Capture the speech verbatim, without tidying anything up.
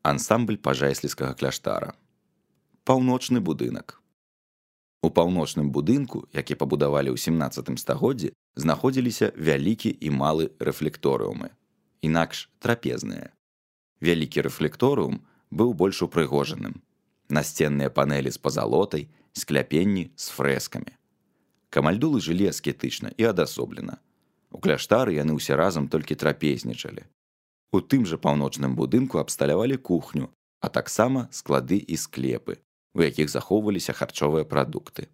Ансамбль пажайсліцкага кляштара. Паўночны будынак. У паўночным будынку, які пабудавалі ў сямнаццатым стагоддзі, знаходзіліся вялікі і малы рэфлекторыумы, інакш трапезныя. Вялікі рэфлекторыум быў больш упрыгожаным. Насценныя панэлі з пазалотай, скляпенні з фрэскамі. Камальдулы жылі аскетычна і адасоблена. У кляштары яны ўсе разам толькі трапезнічалі. У тым жа паўночным будынку абсталявалі кухню, а таксама склады і склепы, у якіх захоўваліся харчовыя прадукты.